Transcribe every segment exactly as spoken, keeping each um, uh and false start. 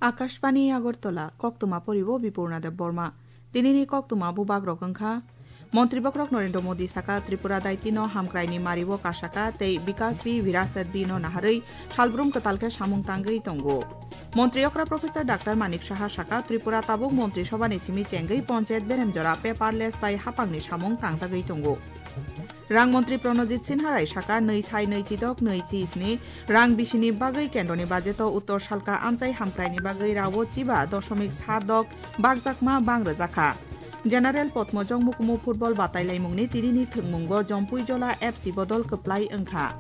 Akashbani Agartala, koktwma poribo Bipurna Debbarma. Tinini koktwma bubagrok wngkha, Montri bokhorok Narendra Modi saka Tripura daitino hamkraini mario kasaka tei Bikas Bhi Virasat Bhi no naharwi salbrum kwtal khe samung tangwi tongo. Montri okra Professor Doctor Manik Saha saka Tripura tabuk Montri Sobhani simi chengwi Ponchayat Beremjora paperless bai hapangni samung tangjagwi tongo. Rang montri Pranojit Sinha Rai saka nwi sai nwi chidok nwi chisni rang bisini bagwi kendroni bajeto uttor salka amchai hamkraini bagwi rao chiba dosomik sat dok bakjakma bang rwjakha. General Potmojong Mukumu football batailaimungni tinini thwngmungo Jompuijola F C bodol kwplai wngkha.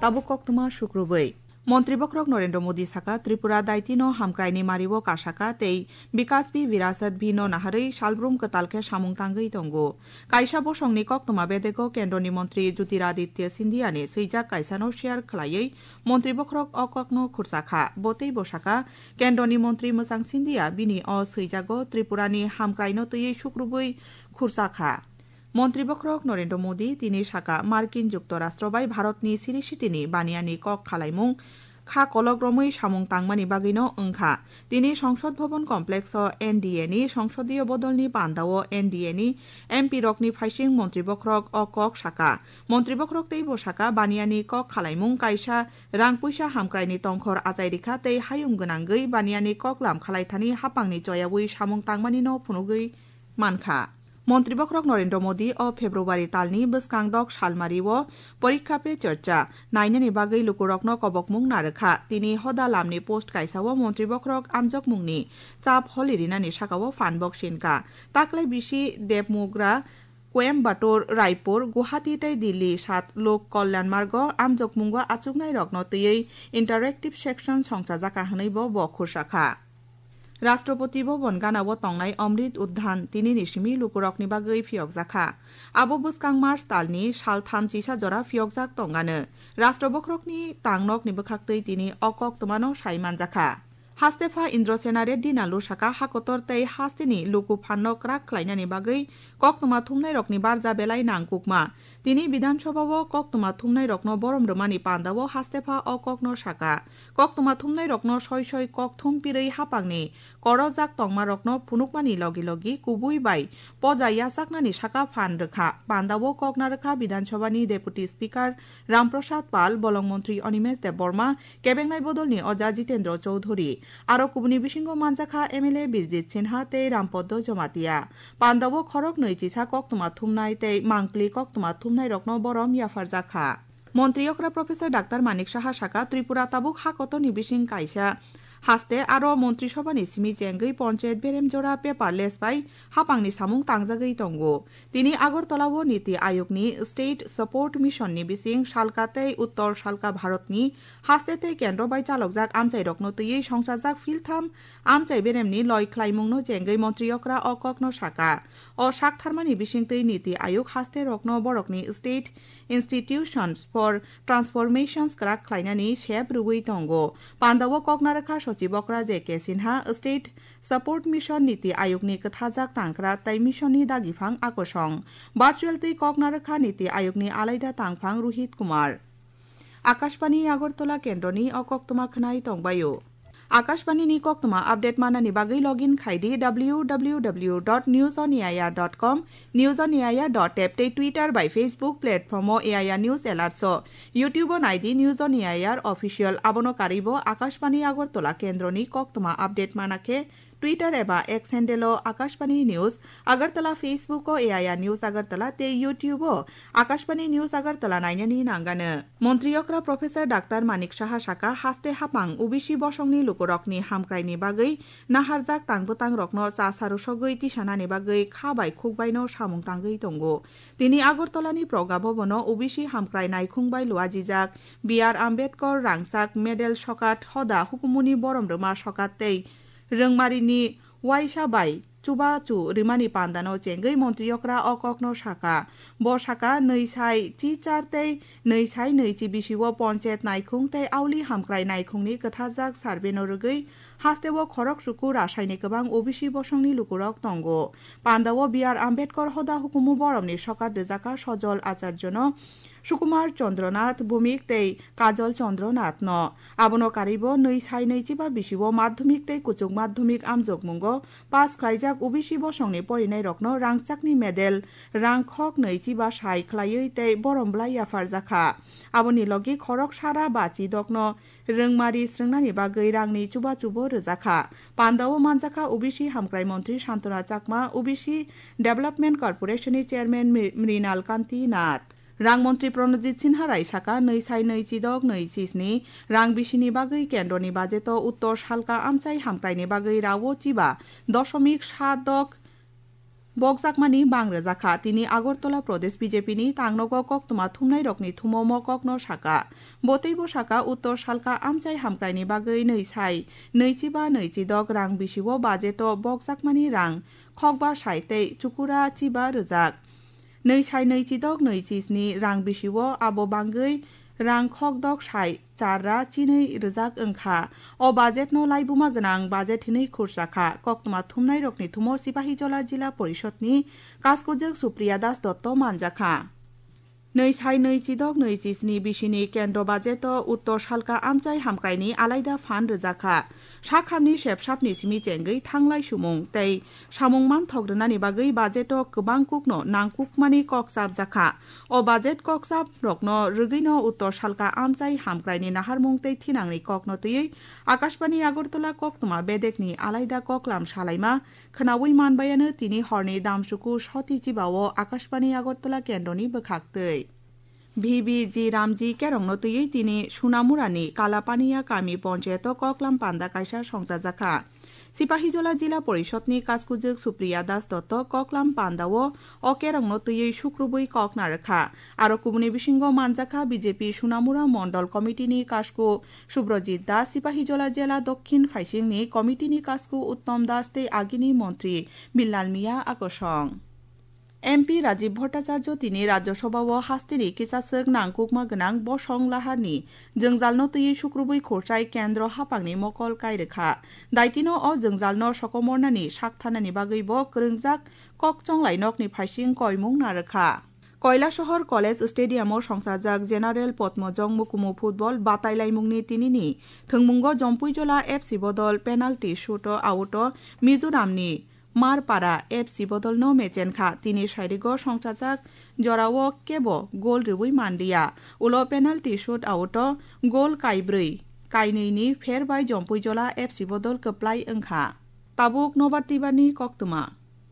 Tabuk koktwma sukrubwi. Montri bokhorok Narendra Modi saka Tripura daitino hamkraini mario kasaka tei Bikas Bhi Virasat Bhi no naharwi salbrum kwtal khe samung tangwi tongo. Kaisa bosongni koktwma bedego kendroni montri Jyotiraditya Scindia ni swijak kaisano share khwlaiwi montri bokhorok o kokno khursa kha. Bo tei bwsaka kendroni montri Mwchang Scindia bini o swijago Tripurani hamkraino twiwi sukrubwi khursa kha. Montri bokhorok Narendra Modi tini saka Markin Juktorastro bai Bharatni siri sitini baniani kok khalaimung kha kolok romwi samung tangmani bagwino wngkha. Tini Songsod Bhavan Complex o N D A ni songsodiyo bodolni pandao N D A ni M P rokni phaising montri bokhorok o kok saka. Montri bokhorok tei bwsaka baniani kok khalaimung kaisa rang puisa hamkraini tongkhor achai rikha tei hayung gwnangwi baniani koklam khalaithani hapangni choyawi samung tangmanino phunugwi mankha. Montri bokhorok Narendra Modi o February talni bwskang dok salmario Porikha Pe Charcha nainani bagwi lukurokno kobokmung narwkha. Tini hoda lamni post kaisao montri bokhorok amjokmungni chap holi rinani sakao phan bok sinkha. Taklai bisi Debmugra, Coimbatore, Raipur, Guwahati tei Delhi sat Lok Kalyan Margo amjokmungo achuknairokno twiwi interactive section songchajakha hwnwi bo bo khursa kha. Rashtrapati Bhavan ganao tongnai Amrit Udhan tinini simi lukurokni bagwi phiyokjakha. Abo bwskang March talni saltham chisa jora phiyokjak tongano. Rashtra bokhorokni tangnokni bwkhaktwi tini o koktwmano sai manjakha. Hastepha Indrasena Reddy Nallu saka hakotor tei hasteni luku phanno kwrak khlainani bagwi koktwma thumnairokni barja belai nangkukma. Tini Bidhan Sabha o koktwma thumnairokno borom rwmani pandao hastepha o kokno saka. Koktwma thumnairokno soi soi kok thum pirwi hapangni korojak tongmarokno phunukmani logi logi kubui bai poja yachaknani saka phan rwkha. Pandao kok narwkha Bidhan Sabha ni Deputy Speaker Ram Prasad Pal, Bolong Montri Animesh Debbarma, kebengnai bodolni oja Jitendra Chowdhury. Aro kubuni bisingo manjakha M L A Birjit Sinha tei Rampoddo Jamatia. Pandao khorok nwi chisa koktwma thumnai tei mangpli koktwma thumnairokno borom yapharjakha. Montri okra Professor Doctor Manik Saha saka Tripura tabuk hakotorni bising kaisa haste aro Montri Sobhani simi chengwi Ponchayat Beremjora paperless bai hapangni samung tangjagwi tongo. Tini Agartala o Niti Ayog ni State Support Mission ni bising salka tei Uttor salka Bharat ni haste tei kendro bai chalokjak amchairokno twiwi songchajak philtham amchai beremni loi khlaimungno chengwi montri okra o kokno saka. O saktharmani bisingtwi Niti Ayog hasterokno borokni State Institutions for Transformations kwrak khlainani sep rwui tongo. Pandao kok narwkha Sochib okra J K Sinha, State Support Mission Niti Ayog ni kwthajak tangkra tei mission ni dagiphang akosong. Virtual twi kok narwkha Niti Ayog ni alaida tangphang Rohit Kumar. Akashbani Agartala kendroni o koktwma khwnai tongbaio. Akashbani ni koktwma update manani bagwi login khai di W W W dot news on A I R dot com, News on A I R dot app tei Twitter bai Facebook platform o A I R News Alerts o. YouTube o nai di News on A I R Official, abono karwi bo Akashbani Agartala kendroni koktwma update mana khe Twitter eba X handle o Akashbani News Agartala, Facebook o A I R News Agartala tei YouTube o Akashbani News Agartala nainani nangano. Montri okra Professor Doctor Manik Saha saka haste hapang O B C bosongni lukurokni hamkraini bagwi naharjak tang bwtangrokno cha sarusogwi tisanani bagwi kha bai khukbaino samung tangwi tongo. Tini Agartalani Progya Bhavan o O B C hamkrai naikhung bai luajijak B R Ambedkar rangchak medal sokat hoda hukumuni borom rwma sokat tei Rwngmarini uaisa bai chubachu rimani pandano chengwi montri okra o kokno saka. Bo saka, nwi sai chi char tei nwi sai nwi chi bisio ponchayat naikhung tei auli hamkrai naikhungni kwthajak survey no rwgwi Hasteo khorok chuku rasaini kwbang O B C bosongni lukurok tongo. Pandao B R Ambedkar hoda hukumu boromni sokat rijaka Sojol Acharjono, Sukumar Chandra Nath Bhumik tei Kajol Chandra Nath no. Abono karwibo nwi sai nwi chiba bisio madhyamik tei kuchuk madhyamik amjokmungo pass khlaijak O B C bosongni porinairokno rangchakni medal rang khok nwi chiba sai khlaiwi tei borom bwlai yapharjakha. Aboni logi khorok sara ba chidokno rwngmari srwngnani bagwi rangni chuba chubo rwjakha. Pandao manjakha O B C Hamkrai Montri Santona Chakma, O B C Development Corporation ni Chairman Mri-, Mrinal Kanti Nath. Rang Montri Pranojit Sinha Rai saka, nwi sai nwi chidok nwi chisni rang bisini bagwi kendroni bajeto uttor salka amchai hamkraini bagwi rao chiba dosomik sa dok bokjakmani bang rwjakha. Tini Agartala Pradesh B J P ni tangnogo koktwma thumnairokni thumo mo kokno saka. Bo teibo saka, uttor salka amchai hamkraini bagwi nwi sai nwi chiba nwi chidok rang bisio bajeto bokjakmani rang khokba sai tei chukura chiba rwjak. Nwi sai nwi chidok nwi chisni rang bisio abo bangwi rang khokdok sai char ra chinwi rwjak wngkha. O budget no laibuma gwnang budget hinwi khursa kha. Koktwma thumnairokni thumo Sipahijola Jila Porishotni kaskujwk Supriya Das Dotto manjakha. Nwi sai nwi chidok nwi chisni bisini kendro budgeto uttor salka amchai hamkraini alaida phan rwjakha. Sakhamni sepsapni simi chengwi thanglai sumung tei samung manthok rwnani bagwi budgeto kwbang kukno nangkukmani kok chapjakha. O budget kok chaprokno rwgwino uttor salka amchai hamkraini naharmung tei thinangni kokno twiwi Akashbani Agartala koktwma bedekni alaida koklam salaima khwnawi manbayano tini horni damsuku soti chibao Akashbani Agartala kendroni bwkhaktwi. V B G Ramji Kerongno twiwi tini Sunamurani Kalapaniya kami ponchayato koklam panda kaisa songchajakha. Sipahijola Jila Porishotni kaskujwk Supriya Das Dotto koklam pandao o kerongno twiwi sukrubwi kok narwkha. Aro kubuni bisingo manjakha B J P Sunamura Mondol Committee ni kasku Subrojit Das, Sipahijola Jela Dokhin Phaisingni Committee ni kasku Uttom Das tei agini montri Bilal Miya akosong. M P Rajiv Bhattacharya tini Rajya Sabha o hasteni kichaswk nangkukma gwnang bosong laharni jwngjalno twiwi sukrubwi khurchai kendro haphangni mokol kairwkha. Daitino o jwngjalno sokomornani saktharnani bagwi bo kwrwngjak kokchonglai nokni phaising koimung narwkha. Kailasahar College Stadium o songchajak General Padmajong Mukumu Football batailaimungni tinini thwngmungo Jompuijola F C bodol penalty shoot o out o Mizoramni Marpara F C bodolno mechenkha. Tini sairigo songchajak jorao kebo gol rwui manliya. Ulo penalty shoot out o gol kaibrwi, kainwini pher bai Jompuijola F C bodol kwplai wngkha. Tabuk nobar twibarni koktwma.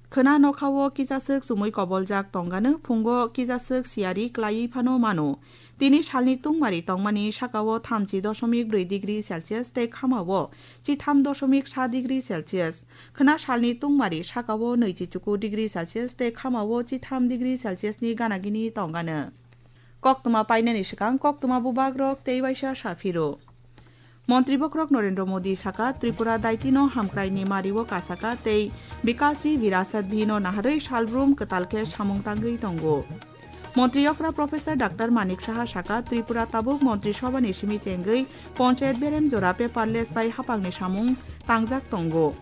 Khwna nokhao kichaswk chumui koboljak tongano phungo kichaswk siyari klaiwi phano mano. Tini salni tungmari tongmani sakao thamchi dosomik brwi degree Celsius tei khamao chitham dosomik sa degree Celsius. Khwna salni tungmari sakao nwichi chuku degree Celsius tei khamao chitham degree Celsius ni ganagini tongano. Koktwma painani swkang koktwma bubagrok tei waisa saphiro. Montri bokrok Narendra Modi saka, Tripura daitino hamkraini mario kasaka tei Bikas Bhi Virasat Bhi no naharwi salbrum kwtal khe samung tangwi tongo. Montri okra Professor Doctor Manik Saha saka, Tripura tabuk Montri Sobha ni simi chengwi Ponchayat berem jora paperless bai haphangni samung tangjak tongo.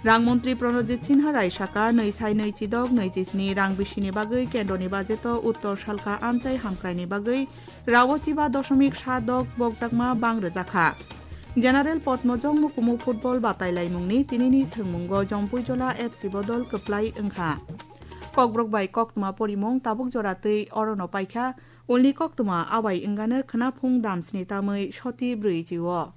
Rang Montri Pranojit Sinha Rai saka, nwi sai nwi chidok nwi chisni rang bisini bagwi kendroni budgeto uttor salka amchai hamkraini bagwi rao chiba dosomik sa dok bokjakma bang rwjakha. General Padmajong Mukumu Football batailaimungni tinini thwngmungo Jompuijola F C bodol kwplai wngkha. Kokborok bai koktwma porimung tabuk jora twi orono paikha, ulni koktwma abai wngano khwnaphung damsni tamwi soti brwi chio.